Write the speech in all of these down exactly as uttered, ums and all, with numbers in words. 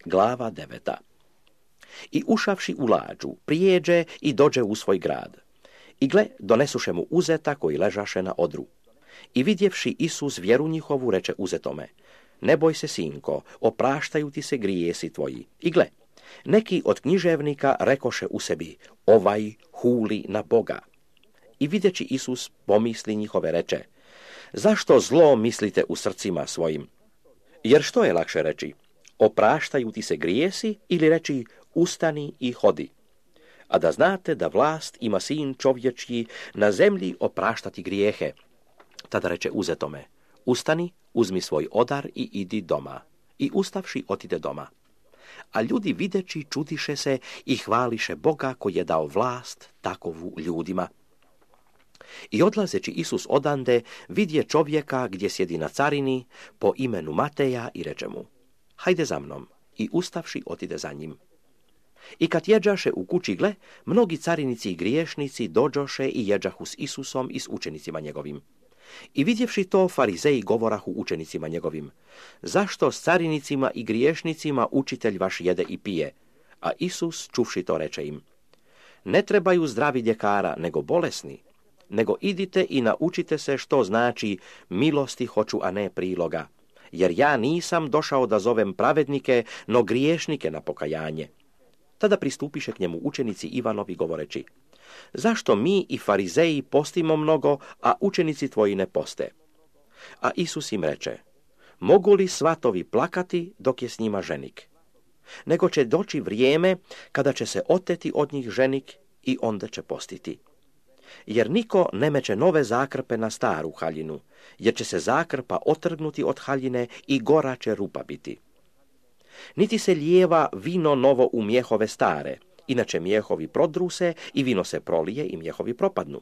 Glava deveta. I ušavši u lađu, prijeđe i dođe u svoj grad. I gle, donesuše mu uzeta koji ležaše na odru. I vidjevši Isus vjeru njihovu, reče uzetome: ne boj se, sinko, opraštaju ti se grijesi tvoji. I gle, neki od književnika rekoše u sebi: ovaj huli na Boga. I vidjeći Isus pomisli njihove, reče: zašto zlo mislite u srcima svojim? Jer što je lakše reći: opraštaju ti se grijesi, ili reći: ustani i hodi? A da znate da vlast ima sin čovječji na zemlji opraštati grijehe. Tada reče uzetome: ustani, uzmi svoj odar i idi doma. I ustavši otide doma. A ljudi videći čudiše se i hvališe Boga koji je dao vlast takovu ljudima. I odlazeći Isus odande, vidje čovjeka gdje sjedi na carini po imenu Mateja i reče mu: hajde za mnom. I ustavši otide za njim. I kad jeđaše u kući, gle, mnogi carinici i griješnici dođoše i jeđahu s Isusom i s učenicima njegovim. I vidjevši to, farizeji govorahu učenicima njegovim: zašto s carinicima i griješnicima učitelj vaš jede i pije? A Isus, čuvši to, reče im: ne trebaju zdravi ljekara, nego bolesni. Nego idite i naučite se što znači milosti hoću, a ne priloga. Jer ja nisam došao da zovem pravednike, no griješnike na pokajanje. Tada pristupiše k njemu učenici Ivanovi govoreći: zašto mi i farizeji postimo mnogo, a učenici tvoji ne poste? A Isus im reče: mogu li svatovi plakati dok je s njima ženik? Nego će doći vrijeme kada će se oteti od njih ženik i onda će postiti. Jer niko ne meće nove zakrpe na staru haljinu, jer će se zakrpa otrgnuti od haljine i gora će rupa biti. Niti se lijeva vino novo u mjehove stare, inače mjehovi prodruse i vino se prolije i mjehovi propadnu.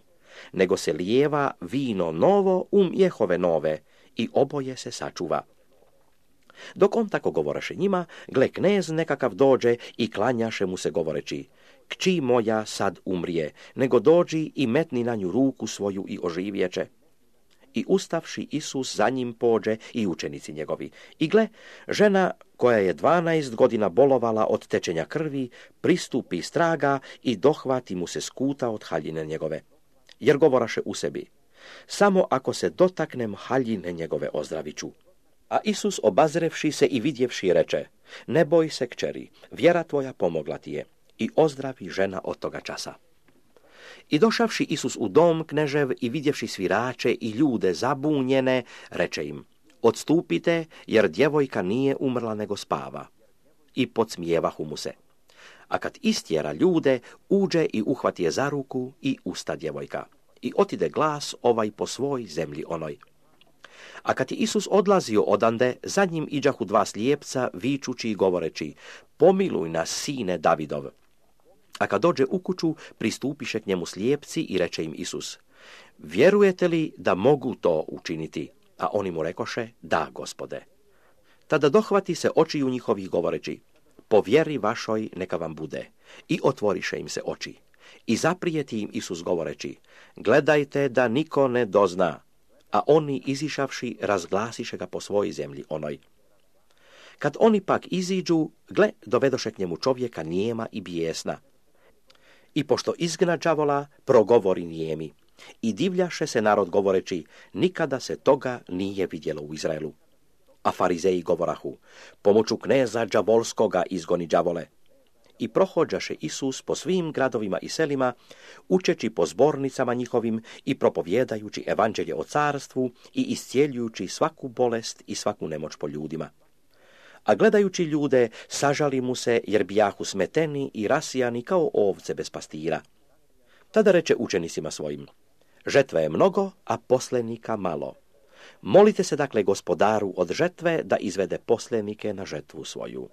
Nego se lijeva vino novo u mjehove nove i oboje se sačuva. Dok on tako govoraše njima, gle, knez nekakav dođe i klanjaše mu se govoreći: kći moja sad umrije, nego dođi i metni na nju ruku svoju i oživjeće. I ustavši Isus za njim pođe i učenici njegovi. I gle, žena koja je dvanaest godina bolovala od tečenja krvi, pristupi straga i dohvati mu se skuta od haljine njegove. Jer govoraše u sebi: samo ako se dotaknem haljine njegove ozdraviću. A Isus, obazrevši se i vidjevši, reče: ne boj se, kćeri, vjera tvoja pomogla ti je. I ozdravi žena od toga časa. I došavši Isus u dom knežev i vidjevši svirače i ljude zabunjene, reče im: odstupite, jer djevojka nije umrla nego spava. I podsmijevahu mu se. A kad istjera ljude, uđe i uhvati je za ruku i usta djevojka. I otide glas ovaj po svoj zemlji onoj. A kad je Isus odlazio odande, za njim iđahu dva slijepca, vičući i govoreći: pomiluj nas, sine Davidov. A kad dođe u kuću, pristupiše k njemu slijepci i reče im Isus: vjerujete li da mogu to učiniti? A oni mu rekoše: da, Gospode. Tada dohvati se očiju njihovih govoreći: po vjeri vašoj neka vam bude. I otvoriše im se oči. I zaprijeti im Isus govoreći: gledajte da niko ne dozna. A oni izišavši razglasiše ga po svojoj zemlji onoj. Kad oni pak iziđu, gle, dovedoše k njemu čovjeka nijema i bijesna. I pošto izgna đavola, progovori nijemi. I divljaše se narod govoreći: nikada se toga nije vidjelo u Izraelu. A farizeji govorahu: pomoću kneza đavolskoga izgoni đavole. I prohođaše Isus po svim gradovima i selima, učeći po zbornicama njihovim i propovjedajući evanđelje o carstvu i iscijeljujući svaku bolest i svaku nemoć po ljudima. A gledajući ljude, sažali mu se, jer bijahu smeteni i rasijani kao ovce bez pastira. Tada reče učenicima svojim: žetve je mnogo, a poslenika malo. Molite se dakle Gospodaru od žetve da izvede poslenike na žetvu svoju.